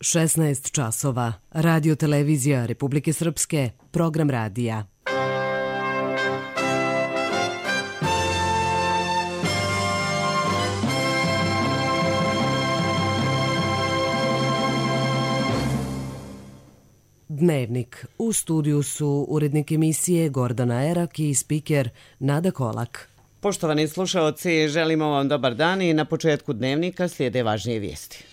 16 časova. Radio televizija Republike Srpske, program radija. Dnevnik. U studiju su urednik emisije Gordana Erak i spiker Nada Kolak. Poštovani slušaoci, želimo vam dobar dan i na početku dnevnika slijede važnije vijesti.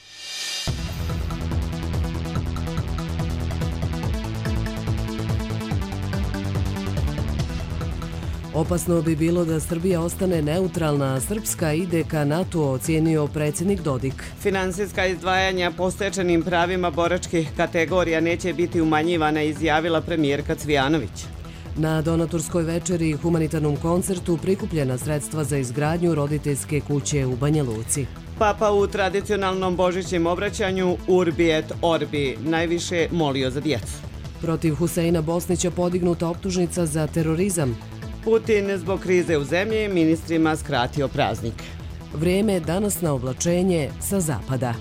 Opasno bi bilo da Srbija ostane neutralna, a Srpska ide ka NATO, ocijenio predsjednik Dodik. Finansijska izdvajanja po stečenim pravima boračkih kategorija neće biti umanjivana, izjavila premijerka Cvijanović. Na donatorskoj večeri i humanitarnom koncertu prikupljena sredstva za izgradnju roditeljske kuće u Banja Luci. Papa u tradicionalnom božićnom obraćanju Urbi et Orbi najviše molio za djecu. Protiv Huseina Bosnića podignuta optužnica za terorizam. Putin zbog krize u zemlji ministrima skratio praznik. Vrijeme danas na oblačenje sa zapada.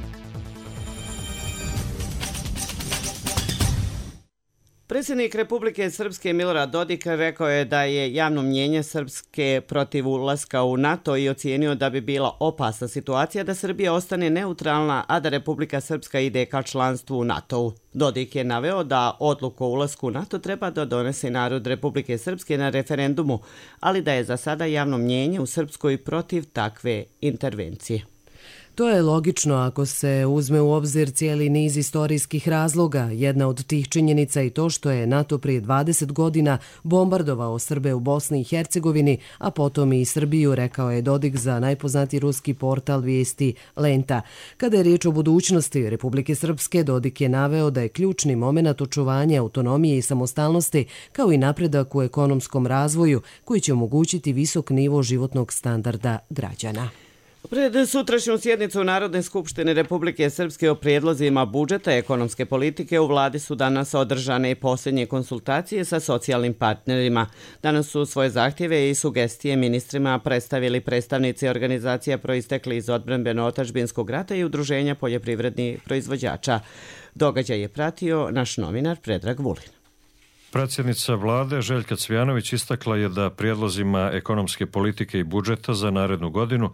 Predsjednik Republike Srpske Milorad Dodik rekao je da je javno mnijenje Srpske protiv ulaska u NATO i ocijenio da bi bila opasna situacija da Srbija ostane neutralna, a da Republika Srpska ide ka članstvu u NATO-u. Dodik je naveo da odluku o ulasku u NATO treba da donese narod Republike Srpske na referendumu, ali da je za sada javno mnijenje u Srpskoj protiv takve intervencije. To je logično ako se uzme u obzir cijeli niz istorijskih razloga. Jedna od tih činjenica i to što je NATO prije 20 godina bombardovao Srbe u Bosni i Hercegovini, a potom i Srbiju, rekao je Dodik za najpoznatiji ruski portal vijesti Lenta. Kada je riječ o budućnosti Republike Srpske, Dodik je naveo da je ključni moment očuvanja autonomije i samostalnosti, kao i napredak u ekonomskom razvoju koji će omogućiti visok nivo životnog standarda građana. Pred sutrašnju sjednicu Narodne skupštine Republike Srpske o prijedlozima budžeta ekonomske politike u vladi su danas održane posljednje konsultacije sa socijalnim partnerima. Danas su svoje zahtjeve i sugestije ministrima predstavili predstavnici organizacija proistekli iz odbrambeno-otadžbinskog rata i udruženja poljoprivrednih proizvođača. Događaj je pratio naš novinar Predrag Vulin. Predsjednica vlade Željka Cvijanović istakla je da prijedlozima ekonomske politike i budžeta za narednu godinu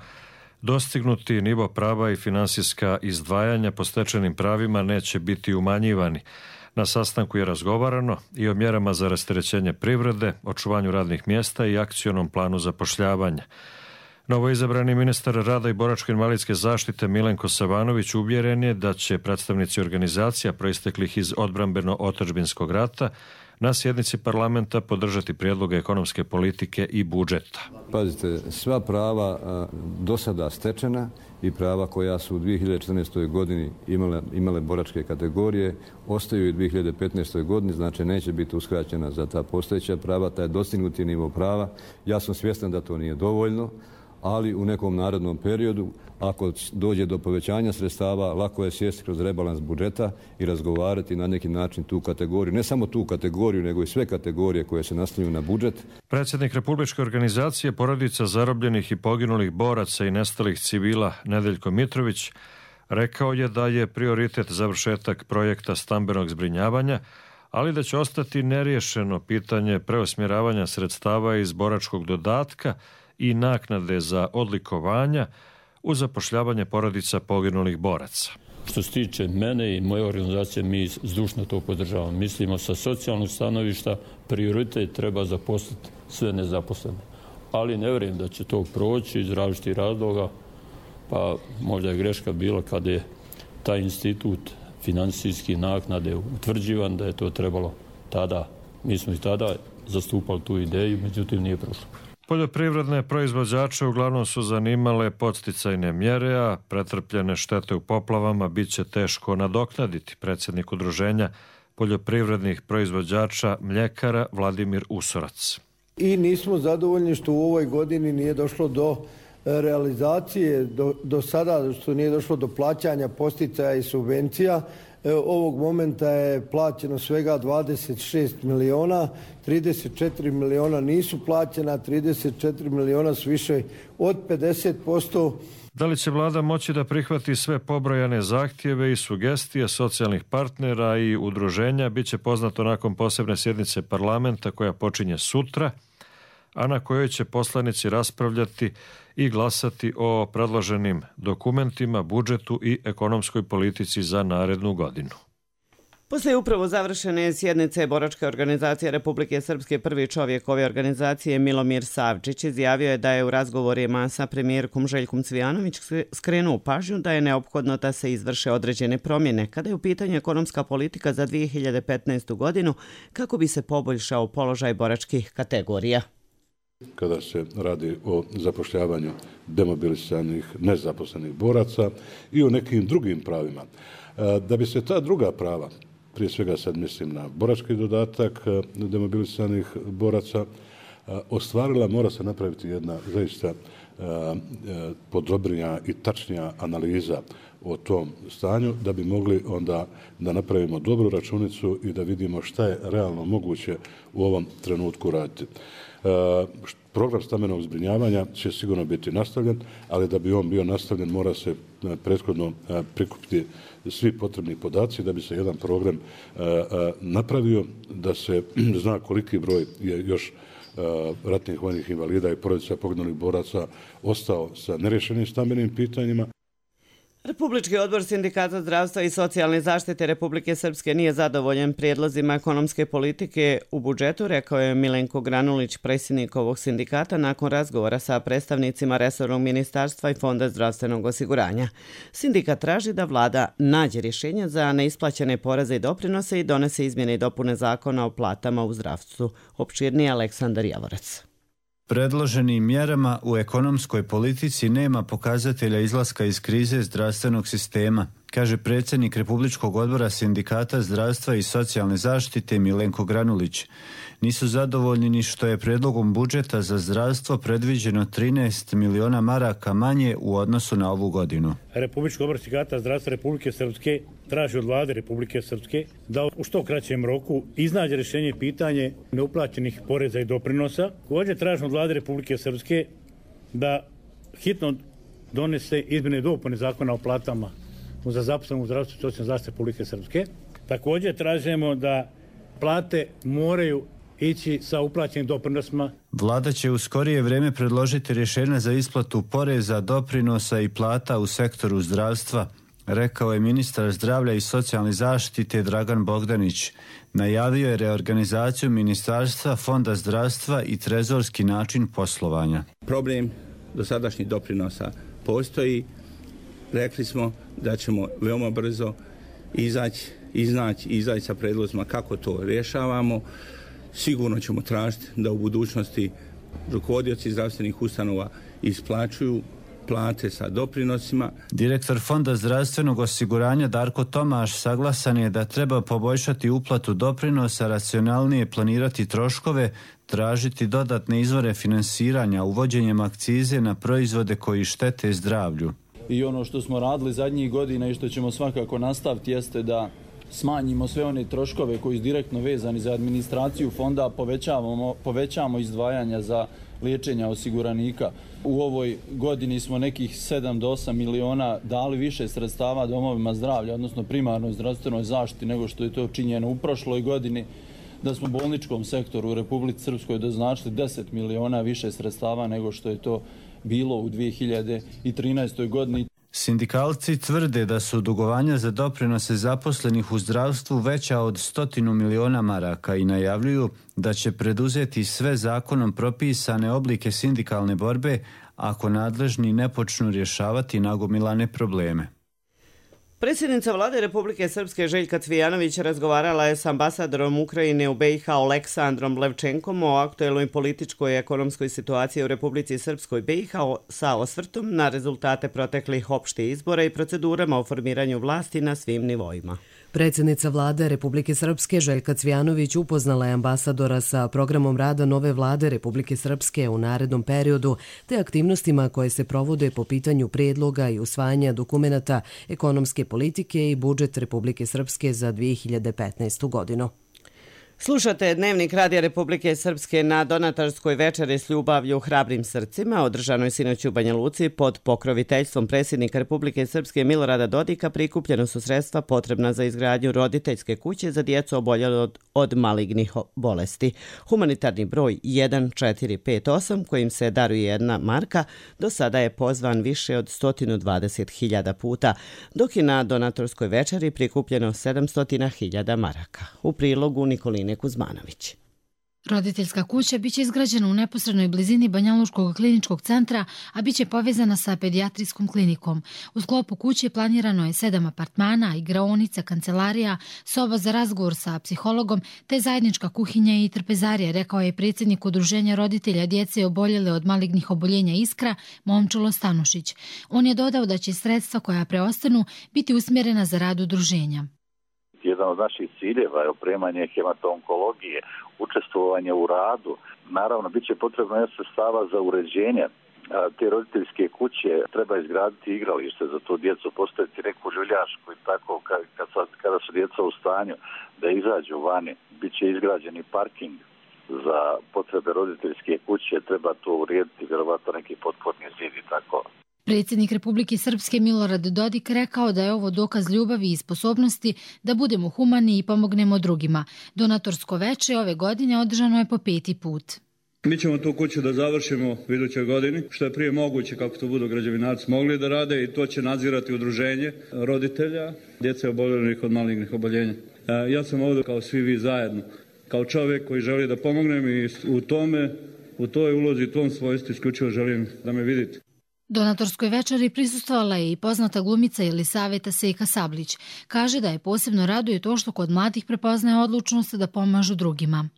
dostignuti nivo prava i finansijska izdvajanja po stečenim pravima neće biti umanjivani. Na sastanku je razgovarano i o mjerama za rasterećenje privrede, očuvanju radnih mjesta i akcionom planu zapošljavanja. Novoizabrani ministar rada i boračko-invalidske zaštite Milenko Savanović uvjeren je da će predstavnici organizacija proisteklih iz odbrambeno-otadžbinskog rata na sjednici parlamenta podržati prijedloge ekonomske politike i budžeta. Pazite, sva prava do sada stečena i prava koja su u 2014. godini imale boračke kategorije ostaju i u 2015. godini, znači neće biti uskraćena za ta postojeća prava, taj dostignuti nivo prava. Ja sam svjestan da to nije dovoljno, ali u nekom narednom periodu, ako dođe do povećanja sredstava, lako je sjesti kroz rebalans budžeta i razgovarati na neki način tu kategoriju. Ne samo tu kategoriju, nego i sve kategorije koje se naslonjuju na budžet. Predsjednik Republičke organizacije porodica zarobljenih i poginulih boraca i nestalih civila Nedeljko Mitrović rekao je da je prioritet završetak projekta stambenog zbrinjavanja, ali da će ostati neriješeno pitanje preusmjeravanja sredstava iz boračkog dodatka i naknade za odlikovanja u zapošljavanje porodica poginulih boraca. Što se tiče mene i moje organizacije, mi zdušno to podržavamo. Mislimo sa socijalnog stanovišta prioritet treba zaposliti sve nezaposlene. Ali ne vjerujem da će to proći iz različitih razloga, pa možda je greška bila kada je taj institut financijski naknade utvrđivan, da je to trebalo tada. Mi smo i tada zastupali tu ideju, međutim nije prošlo. Poljoprivredne proizvođače uglavnom su zanimale podsticajne mjere, a pretrpljene štete u poplavama bit će teško nadoknaditi. Predsjednik udruženja poljoprivrednih proizvođača mljekara Vladimir Usorac. I nismo zadovoljni što u ovoj godini nije došlo do realizacije, do sada što nije došlo do plaćanja podsticaja i subvencija. Ovog momenta je plaćeno svega 26 miliona, 34 miliona nisu plaćena, 34 miliona su više od 50%. Da li će vlada moći da prihvati sve pobrojane zahtjeve i sugestije socijalnih partnera i udruženja bit će poznato nakon posebne sjednice parlamenta koja počinje sutra, a na kojoj će poslanici raspravljati i glasati o predloženim dokumentima, budžetu i ekonomskoj politici za narednu godinu. Poslije upravo završene sjednice Boračke organizacije Republike Srpske, prvi čovjek ove organizacije Milomir Savčić izjavio je da je u razgovorima sa premijerkom Željkom Cvijanović skrenuo pažnju da je neophodno da se izvrše određene promjene kada je u pitanju ekonomska politika za 2015. godinu kako bi se poboljšao položaj boračkih kategorija. Kada se radi o zapošljavanju demobilisanih nezaposlenih boraca i o nekim drugim pravima. Da bi se ta druga prava, prije svega sad mislim na borački dodatak demobilisanih boraca, ostvarila, mora se napraviti jedna zaista podrobnija i tačnija analiza o tom stanju da bi mogli onda da napravimo dobru računicu i da vidimo šta je realno moguće u ovom trenutku raditi. Program stambenog zbrinjavanja će sigurno biti nastavljen, ali da bi on bio nastavljen mora se prethodno prikupiti svi potrebni podaci da bi se jedan program napravio, da se zna koliki broj je još ratnih vojnih invalida i porodica poginulih boraca ostao sa nerješenim stambenim pitanjima. Republički odbor Sindikata zdravstva i socijalne zaštite Republike Srpske nije zadovoljen prijedlozima ekonomske politike u budžetu, rekao je Milenko Granulić, predsjednik ovog sindikata, nakon razgovora sa predstavnicima resornog ministarstva i Fonda zdravstvenog osiguranja. Sindikat traži da vlada nađe rješenja za neisplaćene poreze i doprinose i donese izmjene i dopune zakona o platama u zdravstvu. Opširnije Aleksandar Javorac. Predloženim mjerama u ekonomskoj politici nema pokazatelja izlaska iz krize zdravstvenog sistema, kaže predsjednik Republičkog odbora Sindikata zdravstva i socijalne zaštite Milenko Granulić. Nisu zadovoljni ni što je predlogom budžeta za zdravstvo predviđeno 13 miliona maraka manje u odnosu na ovu godinu. Republički odbor Sindikata zdravstva Republike Srpske traži od vlade Republike Srpske da u što kraćem roku iznađe rješenje pitanje neuplaćenih poreza i doprinosa. Također traži od vlade Republike Srpske da hitno donese izmjene i dopune zakona o platama za zaposlene u zdravstvu i socijalnoj zaštiti Republike Srpske. Također tražimo da plate moraju ići sa uplaćenim doprinosima. Vlada će u skorije vrijeme predložiti rješenja za isplatu poreza, doprinosa i plata u sektoru zdravstva, rekao je ministar zdravlja i socijalne zaštite Dragan Bogdanić. Najavio je reorganizaciju ministarstva, Fonda zdravstva i trezorski način poslovanja. Problem dosadašnjih doprinosa postoji. Rekli smo da ćemo veoma brzo izaći sa predlozima kako to rješavamo. Sigurno ćemo tražiti da u budućnosti rukovodioci zdravstvenih ustanova isplaćuju plate sa doprinosima. Direktor Fonda zdravstvenog osiguranja Darko Tomaš saglasan je da treba poboljšati uplatu doprinosa, racionalnije planirati troškove, tražiti dodatne izvore finansiranja uvođenjem akcize na proizvode koji štete zdravlju. I ono što smo radili zadnjih godina i što ćemo svakako nastaviti jeste da smanjimo sve one troškove koji su direktno vezani za administraciju fonda, povećamo izdvajanja za liječenja osiguranika. U ovoj godini smo nekih 7 do 8 miliona dali više sredstava domovima zdravlja, odnosno primarnoj zdravstvenoj zaštiti nego što je to činjeno u prošloj godini, da smo bolničkom sektoru u Republici Srpskoj doznačili 10 miliona više sredstava nego što je to bilo u 2013. godini. Sindikalci tvrde da su dugovanja za doprinose zaposlenih u zdravstvu veća od 100 miliona maraka i najavljuju da će preduzeti sve zakonom propisane oblike sindikalne borbe ako nadležni ne počnu rješavati nagomilane probleme. Predsjednica vlade Republike Srpske Željka Cvijanović razgovarala je s ambasadorom Ukrajine u BiH Oleksandrom Levčenkom o aktuelnoj političkoj i ekonomskoj situaciji u Republici Srpskoj BiH sa osvrtom na rezultate proteklih opštih izbora i procedurama o formiranju vlasti na svim nivoima. Predsjednica vlade Republike Srpske Željka Cvijanović upoznala je ambasadora sa programom rada nove vlade Republike Srpske u narednom periodu te aktivnostima koje se provode po pitanju prijedloga i usvajanja dokumenata ekonomske politike i budžet Republike Srpske za 2015. godinu. Slušate Dnevnik Radija Republike Srpske na donatorskoj večeri s ljubavlju hrabrim srcima, održanoj sinoć u Banja Luci pod pokroviteljstvom predsjednika Republike Srpske Milorada Dodika. Prikupljeno su sredstva potrebna za izgradnju roditeljske kuće za djecu oboljele od malignih bolesti. Humanitarni broj 1458, kojim se daruje 1 marka, do sada je pozvan više od 120.000 puta, dok je na donatorskoj večeri prikupljeno 700.000 maraka. U prilogu Nikoline Kuzmanović. Roditeljska kuća biće izgrađena u neposrednoj blizini Banjaluškog kliničkog centra, a biće povezana sa pedijatrijskom klinikom. U sklopu kuće planirano je 7 apartmana, igraonica, kancelarija, soba za razgovor sa psihologom, te zajednička kuhinja i trpezarija, rekao je predsjednik Udruženja roditelja djece oboljele od malignih oboljenja Iskra, Momčilo Stanušić. On je dodao da će sredstva koja preostanu biti usmjerena za rad udruženja. Jedan od naših ciljeva je opremanje hematoonkologije, učestvovanje u radu. Naravno, bit će potrebno sredstava za uređenje te roditeljske kuće. Treba izgraditi igralište za tu djecu, postaviti neku žuljašku i tako kada su djeca u stanju da izađu vani. Biće izgrađeni parking za potrebe roditeljske kuće. Treba to urediti, vjerovatno neki potporni zid i tako. Predsjednik Republike Srpske Milorad Dodik rekao da je ovo dokaz ljubavi i sposobnosti da budemo humani i pomognemo drugima. Donatorsko veče ove godine održano je po 5. put. Mi ćemo tu kuću da završimo u idućoj godini, što je prije moguće kako to budu građevinarci mogli da rade, i to će nadzirati udruženje roditelja djece oboljelih od malignih oboljenja. Ja sam ovdje kao svi vi zajedno, kao čovjek koji želi da pomognem i u toj ulozi, u tom svojstvu isključivo želim da me vidite. Donatorskoj večeri prisustvovala je i poznata glumica Jelisaveta Sejka Sablić. Kaže da je posebno raduje to što kod mladih prepoznaje odlučnost da pomažu drugima.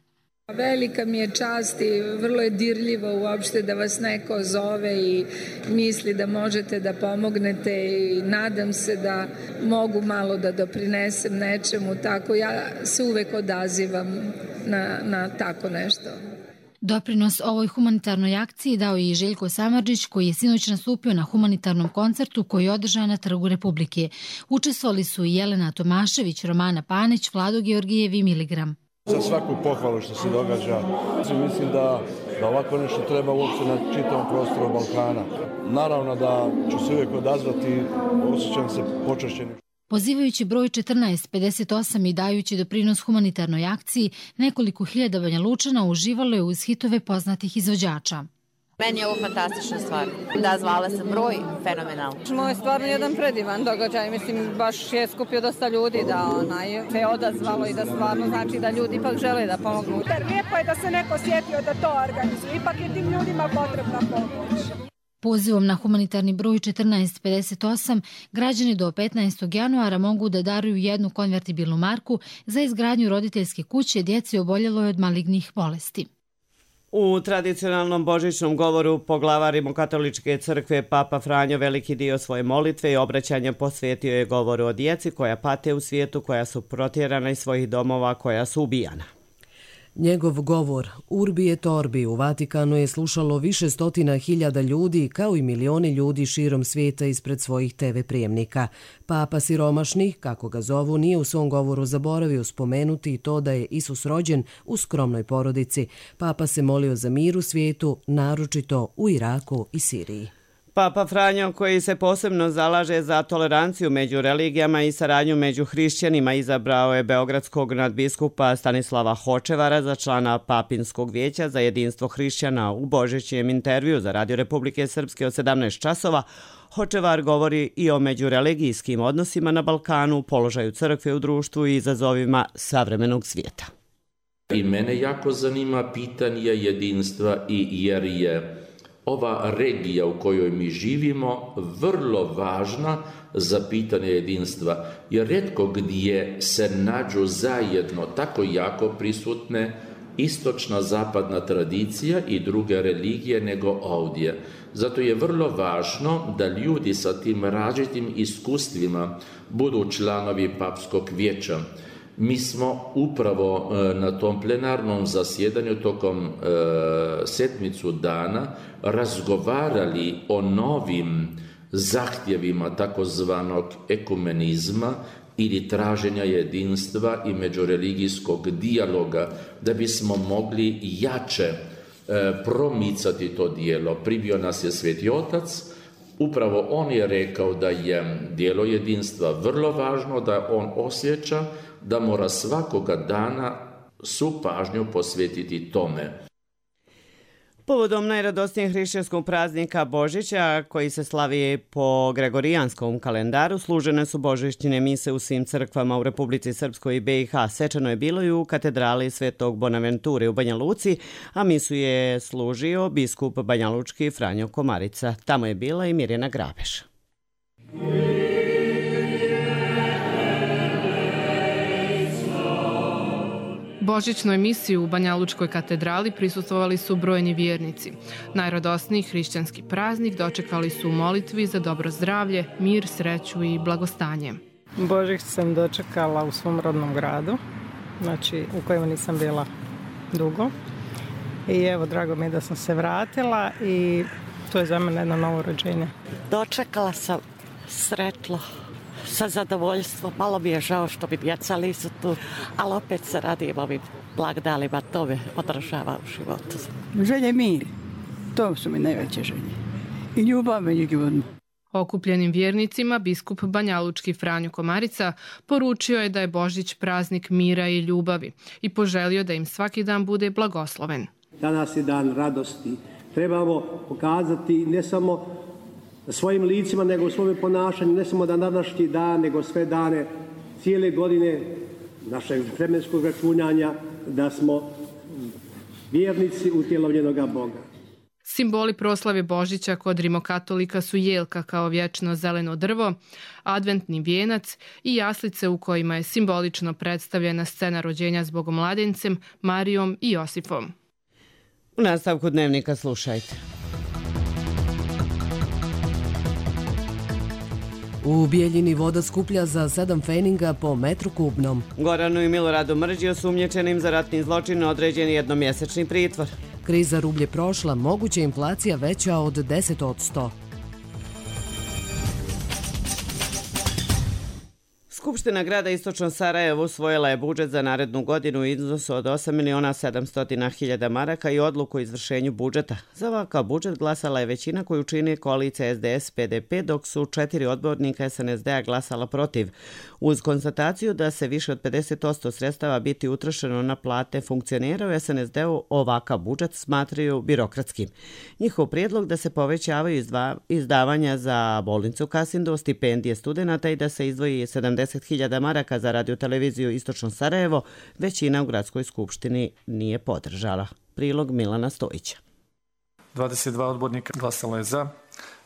Velika mi je čast i vrlo je dirljivo uopšte da vas neko zove i misli da možete da pomognete, i nadam se da mogu malo da doprinesem nečemu. Tako ja se uvek odazivam na tako nešto. Doprinos ovoj humanitarnoj akciji dao je i Željko Samardžić, koji je sinoć nastupio na humanitarnom koncertu koji je održan na Trgu Republike. Učestvovali su i Jelena Tomašević, Romana Panić, Vlado Georgijev i Miligram. Za svaku pohvalu što se događa. Mislim da ovako nešto treba uopće na čitavom prostoru Balkana. Naravno da ću se uvijek odazvati, osjećam se počašćenim. Pozivajući broj 1458 i dajući doprinos humanitarnoj akciji, nekoliko hiljada Banjalučana uživalo je uz hitove poznatih izvođača. Meni je ovo fantastična stvar. Da, zvala sam broj, fenomenalno. Ovo je stvarno jedan predivan događaj. Mislim, baš je skupio dosta ljudi da se odazvalo i da stvarno znači da ljudi ipak žele da pomognu. Lijepo je da se neko sjetio da to organizuje. Ipak je tim ljudima potrebna pomoć. Pozivom na humanitarni broj 1458 građani do 15. januara mogu da daruju 1 konvertibilnu marku za izgradnju roditeljske kuće djeci oboljeloj od malignih bolesti. U tradicionalnom božićnom govoru poglavar Rimokatoličke crkve Papa Franjo veliki dio svoje molitve i obraćanja posvetio je govoru o djeci koja pate u svijetu, koja su protjerana iz svojih domova, koja su ubijana. Njegov govor Urbi et Orbi u Vatikanu je slušalo više stotina hiljada ljudi, kao i milioni ljudi širom svijeta ispred svojih TV prijemnika. Papa siromašni, kako ga zovu, nije u svom govoru zaboravio spomenuti i to da je Isus rođen u skromnoj porodici. Papa se molio za mir u svijetu, naročito u Iraku i Siriji. Papa Franjo, koji se posebno zalaže za toleranciju među religijama i saradnju među hrišćanima, izabrao je beogradskog nadbiskupa Stanislava Hočevara za člana Papinskog vijeća za jedinstvo hrišćana. U božićnijem intervju za Radio Republike Srpske od 17 časova Hočevar govori i o međureligijskim odnosima na Balkanu, položaju crkve u društvu i izazovima savremenog svijeta. I mene jako zanima pitanje jedinstva, jer je ova regija u kojoj mi živimo vrlo važna za pitanje jedinstva, jer rijetko gdje se nađu zajedno tako jako prisutne istočna zapadna tradicija i druge religije nego ovdje. Zato je vrlo važno da ljudi sa tim različitim iskustvima budu članovi Papskog vijeća. Mi smo upravo na tom plenarnom zasjedanju tokom sedmicu dana razgovarali o novim zahtjevima takozvanog ekumenizma, ili traženja jedinstva i međureligijskog dijaloga, da bismo mogli jače promicati to dijelo. Pribio nas je Sveti Otac, upravo on je rekao da je dijelo jedinstva vrlo važno, da on osjeća da mora svakoga dana svu pažnju posvetiti tome. Povodom najradosnijeg hrišćanskog praznika Božića, koji se slavi po gregorijanskom kalendaru, služene su božićne mise u svim crkvama u Republici Srpskoj i BiH. Svečano je bilo i u katedrali Svetog Bonaventure u Banja Luci, a misu je služio biskup banjalučki Franjo Komarica. Tamo je bila i Mirjana Grabeš. Božićnoj misiji u Banjalučkoj katedrali prisustvovali su brojni vjernici. Najradosniji hrišćanski praznik dočekali su u molitvi za dobro zdravlje, mir, sreću i blagostanje. Božić sam dočekala u svom rodnom gradu, znači u kojem nisam bila dugo. I evo, drago mi je da sam se vratila i to je za mene jedno novo rođenje. Dočekala sam sretlo, sa zadovoljstvom. Malo mi je žao što mi djeca nisu tu, ali opet se radim ovim blagdanima, to me podržava u životu. Želje mir, to su mi najveće želje. I ljubav među ljudima. Okupljenim vjernicima biskup banjalučki Franjo Komarica poručio je da je Božić praznik mira i ljubavi i poželio da im svaki dan bude blagosloven. Danas je dan radosti. Trebamo pokazati ne samo svojim licima, nego u svome ponašanju, ne samo da današnji dan, nego sve dane, cijele godine našeg vremenskog računanja, da smo vjernici utjelovljenoga Boga. Simboli proslave Božića kod rimokatolika su jelka kao vječno zeleno drvo, adventni vijenac i jaslice u kojima je simbolično predstavljena scena rođenja s Bogomladencem, Marijom i Josifom. U nastavku dnevnika slušajte. U Bijeljini voda skuplja za 7 feninga po metru kubnom. Goranu i Miloradu Mrđi osumnjičenim za ratni zločin određen jednomjesečni pritvor. Kriza rublje prošla, moguća inflacija veća od 10%. Skupština grada Istočno Sarajevo usvojila je budžet za narednu godinu u iznosu od 8.700.000 maraka i odluku o izvršenju budžeta. Za ovakav budžet glasala je većina koju čini koalicija SDS-PDP, dok su 4 odbornika SNSD-a glasala protiv. Uz konstataciju da se više od 50% sredstava biti utrošeno na plate funkcionera u SNSD-u, ovakav budžet smatraju birokratskim. Njihov prijedlog da se povećavaju izdavanja za bolnicu Kasindu, stipendije studenata i da se izdvoji 70.000 maraka za radioteleviziju Istočno Sarajevo, većina u gradskoj skupštini nije podržala. Prilog Milana Stojića. 22 odbornika glasalo je za,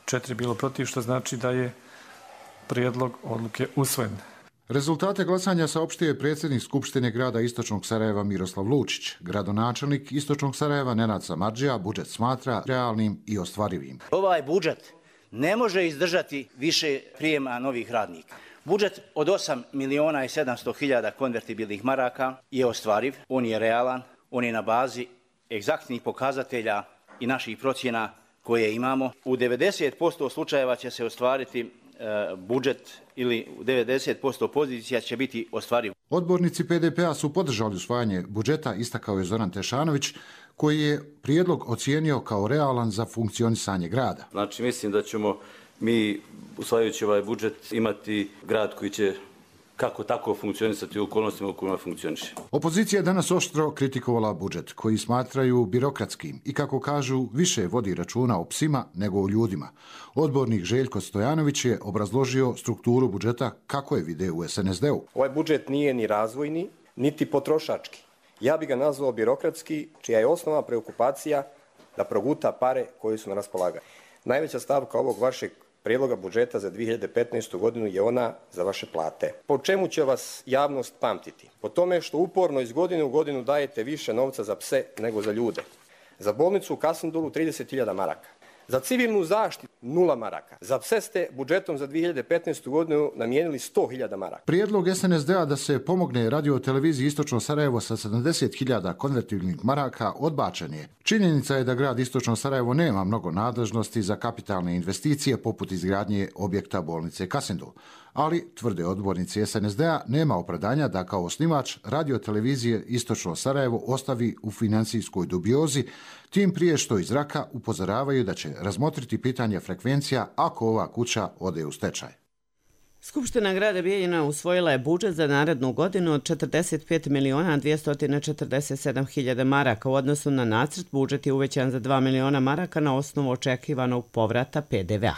4 bilo protiv, što znači da je prijedlog odluke usvojen. Rezultate glasanja saopštio je predsjednik Skupštine grada Istočnog Sarajeva Miroslav Lučić. Gradonačelnik Istočnog Sarajeva Nenad Samardžija budžet smatra realnim i ostvarivim. Ovaj budžet ne može izdržati više prijema novih radnika. Budžet od 8.700.000 konvertibilnih maraka je ostvariv, on je realan, on je na bazi egzaktnih pokazatelja i naših procjena koje imamo. U 90% slučajeva će se ostvariti budžet ili u 90% pozicija će biti ostvariv. Odbornici PDP-a su podržali usvajanje budžeta, istakao je Zoran Tešanović, koji je prijedlog ocijenio kao realan za funkcionisanje grada. Znači, mislim da ćemo mi, usvajajući ovaj budžet, imati grad koji će kako tako funkcionisati u okolnostima u kojima funkcioniše. Opozicija je danas oštro kritikovala budžet, koji smatraju birokratskim i, kako kažu, više vodi računa o psima nego o ljudima. Odbornik Željko Stojanović je obrazložio strukturu budžeta kako je video u SNSD-u. Ovaj budžet nije ni razvojni, niti potrošački. Ja bih ga nazvao birokratski, čija je osnovna preokupacija da proguta pare koje su na raspolaganju. Najveća stavka ovog vašeg prijedloga budžeta za 2015. godinu je ona za vaše plate. Po čemu će vas javnost pamtiti? Po tome što uporno iz godine u godinu dajete više novca za pse nego za ljude. Za bolnicu u Kasindulu 30.000 maraka. Za civilnu zaštitu 0 maraka. Za pse ste budžetom za 2015. godinu namijenili 100.000 maraka. Prijedlog SNSD-a da se pomogne radioteleviziji Istočno Sarajevo sa 70.000 konvertibilnih maraka odbačen je. Činjenica je da grad Istočno Sarajevo nema mnogo nadležnosti za kapitalne investicije poput izgradnje objekta bolnice Kasindul. Ali, tvrde odbornici SNSD-a, nema opravdanja da kao osnivač radiotelevizije Istočno Sarajevo ostavi u financijskoj dubiozi, tim prije što iz zraka upozoravaju da će razmotriti pitanje frekvencija ako ova kuća ode u stečaj. Skupština grada Bijeljina usvojila je budžet za narednu godinu od 45.247.000 maraka. U odnosu na nacrt, budžet je uvećan za 2 miliona maraka na osnovu očekivanog povrata PDV-a.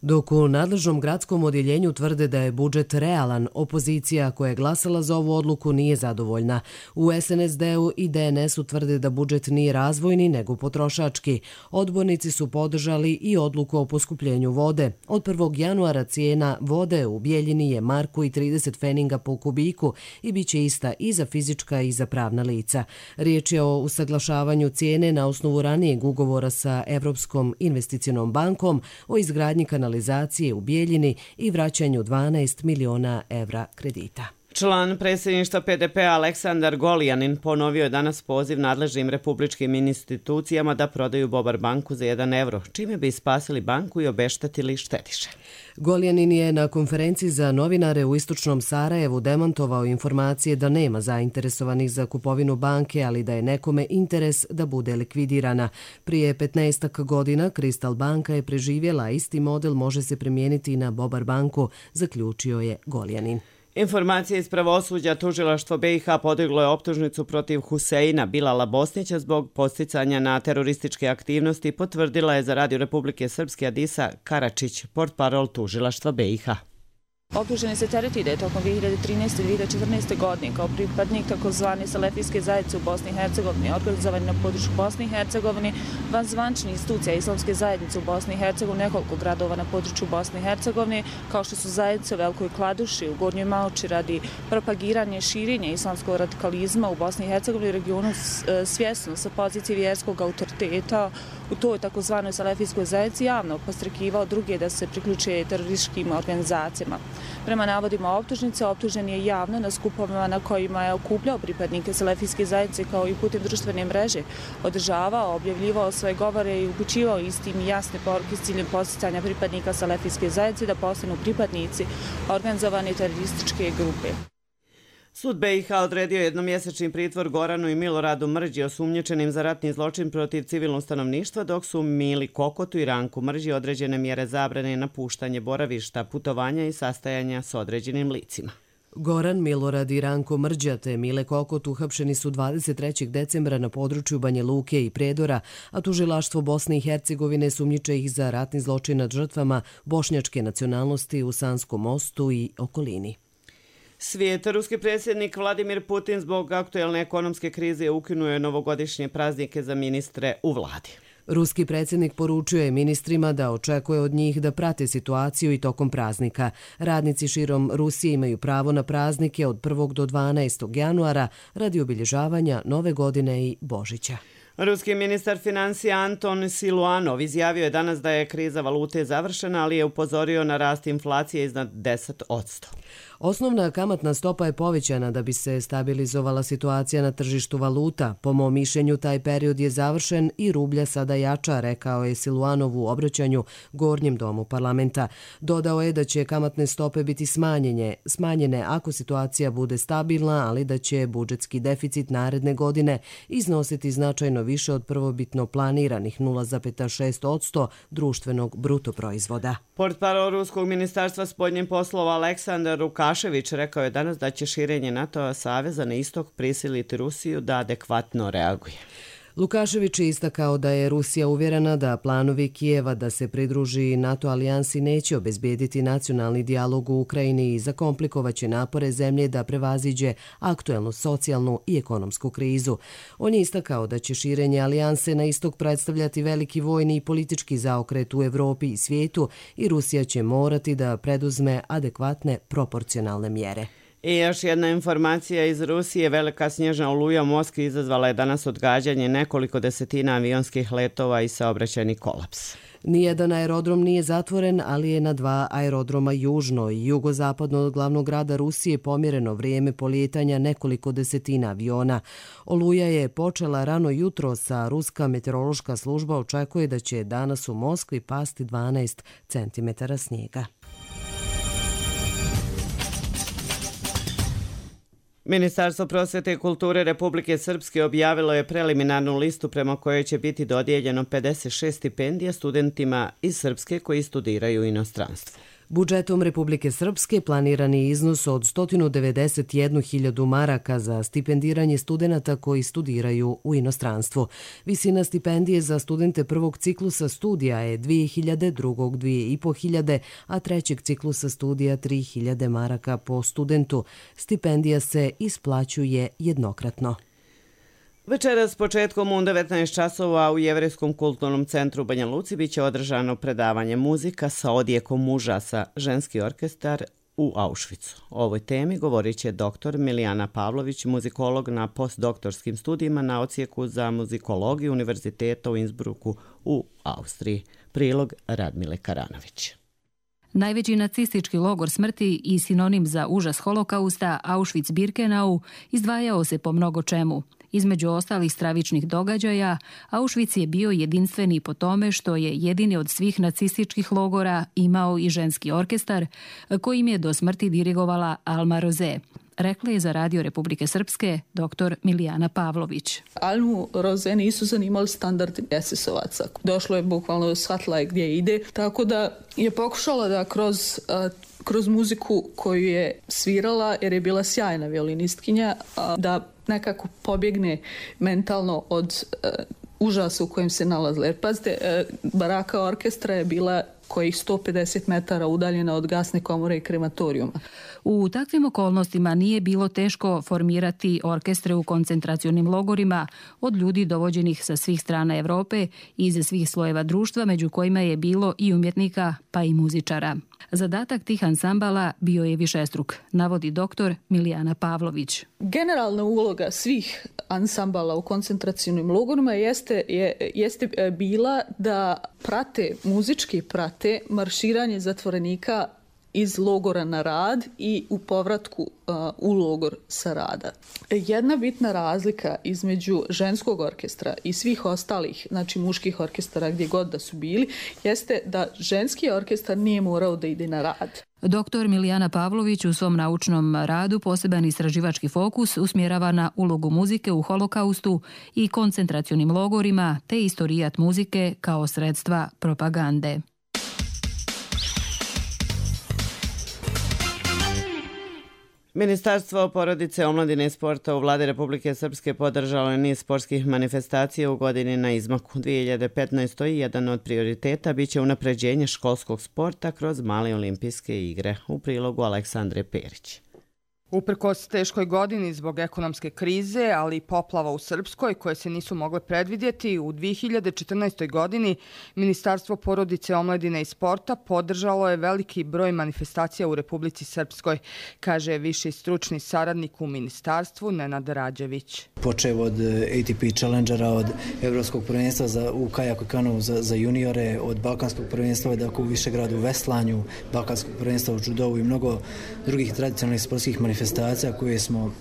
Dok u nadležnom gradskom odjeljenju tvrde da je budžet realan, opozicija koja je glasala za ovu odluku nije zadovoljna. U SNSD-u i DNS-u tvrde da budžet nije razvojni nego potrošački. Odbornici su podržali i odluku o poskupljenju vode. Od 1. januara cijena vode u Bijeljini je marku i 30 feninga po kubiku i bit će ista i za fizička i za pravna lica. Riječ je o usaglašavanju cijene na osnovu ranijeg ugovora sa Evropskom investicionom bankom o izgradnji kanalizacije u Bijeljini i vraćanju 12 miliona evra kredita. Član predsjedništva PDP-a Aleksandar Goljanin ponovio je danas poziv nadležnim republičkim institucijama da prodaju Bobar banku za 1 evro, čime bi spasili banku i obeštetili štediše. Goljanin je na konferenciji za novinare u Istočnom Sarajevu demantovao informacije da nema zainteresovanih za kupovinu banke, ali da je nekome interes da bude likvidirana. Prije 15 godina Kristal banka je preživjela, isti model može se primijeniti i na Bobar banku, zaključio je Goljanin. Informacije iz pravosuđa, tužilaštvo BiH podiglo je optužnicu protiv Huseina Bilala Bosnića zbog podsticanja na terorističke aktivnosti, potvrdila je za Radio Republike Srpske Adisa Karačić, portparol tužilaštva BiH. Optuženi se tereti da je tokom 2013. i 2014. godine kao pripadnik takozvane salefijske zajednice u Bosni i Hercegovini organizovani na području Bosne i Hercegovine, van zvančnih institucija islamske zajednice u Bosni i Hercegovini, nekoliko gradova na području Bosne i Hercegovine, kao što su zajednice u Velikoj Kladuši, u Gornjoj Malči, radi propagiranja i širenja islamskog radikalizma u Bosni i Hercegovini i regionu, svjesno sa pozicije vjerskog autoriteta u toj takozvanoj salefijskoj zajednici javno podstrekivao druge da se priključe terorističkim organizacijama. Prema navodima optužnice, optužen je javno na skupovima na kojima je okupljao pripadnike salefijske zajednice kao i putem društvene mreže, održavao, objavljivao svoje govore i upućivao istim i jasne poruke s ciljem podsticanja pripadnika salefijske zajednice da postanu pripadnici organizovane terorističke grupe. Sud BiH odredio jednomjesečni pritvor Goranu i Miloradu Mrđi osumnjičenim za ratni zločin protiv civilnog stanovništva, dok su Mili Kokotu i Ranku Mrđi određene mjere zabrane napuštanje boravišta, putovanja i sastajanja s određenim licima. Goran, Milorad i Ranko Mrđa te Mile Kokot uhapšeni su 23. decembra na području Banja Luke i Prijedora, a tužilaštvo Bosne i Hercegovine sumnjiče ih za ratni zločin nad žrtvama bošnjačke nacionalnosti u Sanskom mostu i okolini. Svijet. Ruski predsjednik Vladimir Putin zbog aktuelne ekonomske krize ukinuo je novogodišnje praznike za ministre u vladi. Ruski predsjednik poručuje ministrima da očekuje od njih da prate situaciju i tokom praznika. Radnici širom Rusije imaju pravo na praznike od 1. do 12. januara radi obilježavanja Nove godine i Božića. Ruski ministar financija Anton Siluanov izjavio je danas da je kriza valute završena, ali je upozorio na rast inflacije iznad 10%. Osnovna kamatna stopa je povećana da bi se stabilizovala situacija na tržištu valuta. Po mom mišljenju, taj period je završen i rublja sada jača, rekao je Siluanov u obraćanju Gornjem domu parlamenta. Dodao je da će kamatne stope biti smanjene ako situacija bude stabilna, ali da će budžetski deficit naredne godine iznositi značajno više od prvobitno planiranih 0,6% društvenog bruto proizvoda. Portparol Ruskog ministarstva spoljnih poslova Aleksandar Lukašević rekao je danas da će širenje NATO saveza na istok prisiliti Rusiju da adekvatno reaguje. Lukašević je istakao da je Rusija uvjerena da planovi Kijeva da se pridruži NATO alijansi neće obezbijediti nacionalni dijalog u Ukrajini i zakomplikovaće napore zemlje da prevaziđe aktuelnu socijalnu i ekonomsku krizu. On je istakao da će širenje alijanse na istok predstavljati veliki vojni i politički zaokret u Evropi i svijetu i Rusija će morati da preduzme adekvatne proporcionalne mjere. I još jedna informacija iz Rusije. Velika snježna oluja u Moskvi izazvala je danas odgađanje nekoliko desetina avionskih letova i saobraćajni kolaps. Nijedan aerodrom nije zatvoren, ali je na 2 aerodroma južno i jugozapadno od glavnog grada Rusije pomjereno vrijeme polijetanja nekoliko desetina aviona. Oluja je počela rano jutro, sa Ruska meteorološka služba očekuje da će danas u Moskvi pasti 12 cm snijega. Ministarstvo prosvete i kulture Republike Srpske objavilo je preliminarnu listu prema kojoj će biti dodijeljeno 56 stipendija studentima iz Srpske koji studiraju u inostranstvu. Budžetom Republike Srpske planirani iznos od 191.000 maraka za stipendiranje studenata koji studiraju u inostranstvu. Visina stipendije za studente prvog ciklusa studija je 2.000, drugog 2.500, a trećeg ciklusa studija 3.000 maraka po studentu. Stipendija se isplaćuje jednokratno. Večeras početkom u 19 časova u Jevrejskom kulturnom centru Banja Luci biće održano predavanje muzika sa odjekom užasa, ženski orkestar u Auschwitzu. O ovoj temi govorit će dr. Milijana Pavlović, muzikolog na postdoktorskim studijima na odsjeku za muzikologiju Univerziteta u Innsbrucku u Austriji. Prilog Radmile Karanović. Najveći nacistički logor smrti i sinonim za užas holokausta, Auschwitz-Birkenau, izdvajao se po mnogo čemu. Između ostalih stravičnih događaja, Auschwitz je bio jedinstveni po tome što je jedini od svih nacističkih logora imao i ženski orkestar, kojim je do smrti dirigovala Alma Roze. Rekla je za Radio Republike Srpske dr. Milijana Pavlović. Almu Roze nisu zanimali standardi SS-ovaca. Došlo je bukvalno, shvatila je gdje ide, tako da je pokušala da kroz muziku koju je svirala, jer je bila sjajna violinistkinja, da nekako pobjegne mentalno od užasa u kojem se nalazila. Jer pazite, baraka orkestra je bila kojih 150 metara udaljena od gasne komore i krematorijuma. U takvim okolnostima nije bilo teško formirati orkestre u koncentracionim logorima od ljudi dovođenih sa svih strana Evrope i iz svih slojeva društva, među kojima je bilo i umjetnika pa i muzičara. Zadatak tih ansambala bio je višestruk, navodi dr. Milijana Pavlović. Generalna uloga svih ansambala u koncentracionim logorima jeste bila da muzički prate marširanje zatvorenika iz logora na rad i u povratku u logor sa rada. Jedna bitna razlika između ženskog orkestra i svih ostalih, znači muških orkestara gdje god da su bili, jeste da ženski orkestar nije morao da ide na rad. Dr. Milijana Pavlović u svom naučnom radu poseban istraživački fokus usmjerava na ulogu muzike u holokaustu i koncentracionim logorima te istorijat muzike kao sredstva propagande. Ministarstvo porodice, omladine i sporta u Vladi Republike Srpske podržalo je niz sportskih manifestacija u godini na izmaku. 2015. jedan od prioriteta biće unapređenje školskog sporta kroz male olimpijske igre. U prilogu Aleksandre Perić. Uprkos teškoj godini zbog ekonomske krize, ali i poplava u Srpskoj koje se nisu mogle predvidjeti, u 2014. godini Ministarstvo porodice, omladine i sporta podržalo je veliki broj manifestacija u Republici Srpskoj, kaže viši stručni saradnik u ministarstvu Nenad Rađević. Počev od ATP Challengera, od Evropskog prvenstva u kajaku i kanu za juniore, od Balkanskog prvenstva u Višegradu u veslanju, Balkanskog prvenstva u judovu i mnogo drugih tradicionalnih sportskih manifestacija koje smo,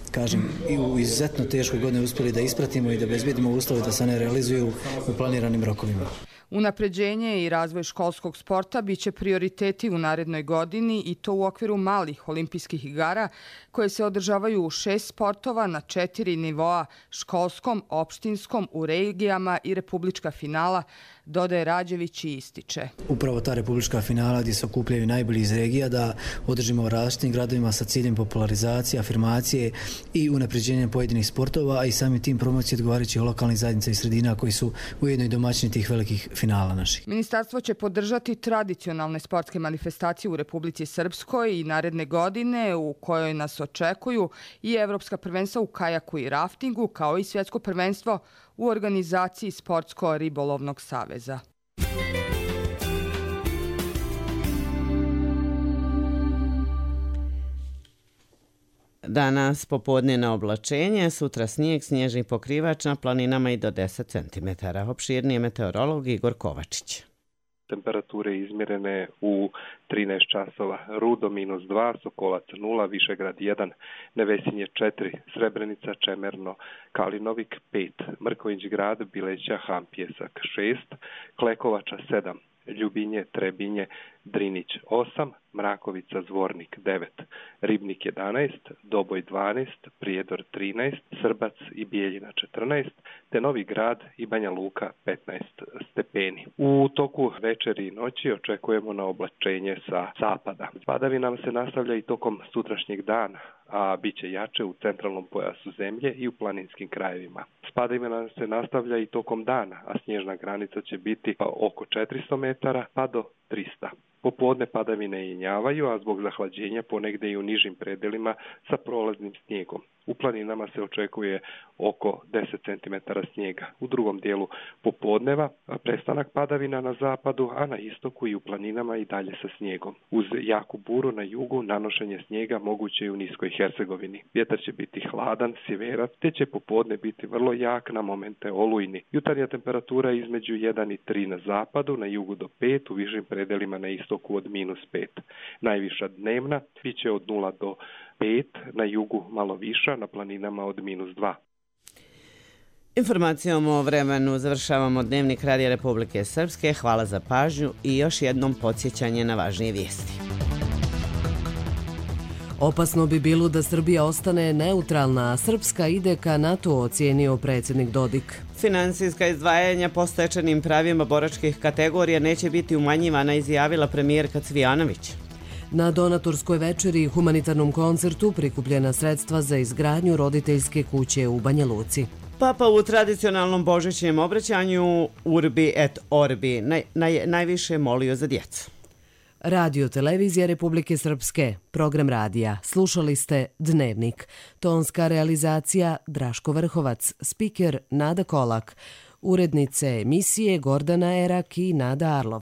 i u izuzetno teškoj godini uspjeli da ispratimo i da obezbedimo uslove da se ne realizuju u planiranim rokovima. Unapređenje i razvoj školskog sporta biće prioriteti u narednoj godini i to u okviru malih olimpijskih igara koje se održavaju u 6 sportova na 4 nivoa, školskom, opštinskom, u regijama i republička finala, dodaje Rađević i ističe. Upravo ta republička finala gdje se okupljaju najbolji iz regija da održimo u različitim gradovima sa ciljem popularizacije, afirmacije i unapređenja pojedinih sportova, a i samim tim promocije odgovarajućih lokalnih zajednica i sredina koji su ujedno i domaćini tih velikih finala naših. Ministarstvo će podržati tradicionalne sportske manifestacije u Republici Srpskoj i naredne godine u kojoj nas očekuju i evropska prvenstva u kajaku i raftingu, kao i svjetsko prvenstvo u organizaciji Sportsko-ribolovnog saveza. Danas popodnevno oblačenje, sutra snijeg, snježni pokrivač na planinama i do 10 cm. Opširnije meteorolog Igor Kovačić. Temperature izmjerene u 13 časova. Rudo -2, Sokolac 0, Višegrad 1, Nevesinje 4, Srebrenica, Čemerno, Kalinovik 5, Mrković grad, Bileća, Hampjesak 6, Klekovača 7, Ljubinje, Trebinje, Drinić 8, Mrakovica Zvornik 9, Ribnik 11, Doboj 12, Prijedor 13, Srbac i Bijeljina 14, te Novi Grad i Banja Luka 15 stepeni. U toku večeri i noći očekujemo na oblačenje sa zapada. Padavina se nastavlja i tokom sutrašnjeg dana, a bit će jače u centralnom pojasu zemlje i u planinskim krajevima. Padavina se nastavlja i tokom dana, a snježna granica će biti oko 400 metara pa do 300. Popodne padavine jenjavaju, a zbog zahlađenja ponegde i u nižim predelima sa prolaznim snijegom. U planinama se očekuje oko 10 cm snijega. U drugom dijelu popodneva prestanak padavina na zapadu, a na istoku i u planinama i dalje sa snijegom. Uz jaku buru na jugu nanošenje snijega moguće i u niskoj Hercegovini. Vjetar će biti hladan, sjeverac, te će popodne biti vrlo jak, na momente olujni. Jutarnja temperatura između 1 i 3 na zapadu, na jugu do 5, u višim predelima na istoku od -5. Najviša dnevna bit će od 0 do 5, na jugu malo viša, na planinama od -2. Informacijom o vremenu završavamo Dnevnik Radija Republike Srpske. Hvala za pažnju i još jednom podsjećanje na važnije vijesti. Opasno bi bilo da Srbija ostane neutralna, a Srpska ide ka NATO, ocijenio predsjednik Dodik. Finansijska izdvajanja po stečenim pravima boračkih kategorija neće biti umanjivana, izjavila premijerka Cvijanović. Na donatorskoj večeri i humanitarnom koncertu prikupljena sredstva za izgradnju roditeljske kuće u Banja Luci. Papa u tradicionalnom božićnjem obraćanju Urbi et Orbi najviše molio za djecu. Radio Televizija Republike Srpske, program radija. Slušali ste Dnevnik. Tonska realizacija Draško Vrhovac, spiker Nada Kolak, urednice emisije Gordana Erak i Nada Arlov.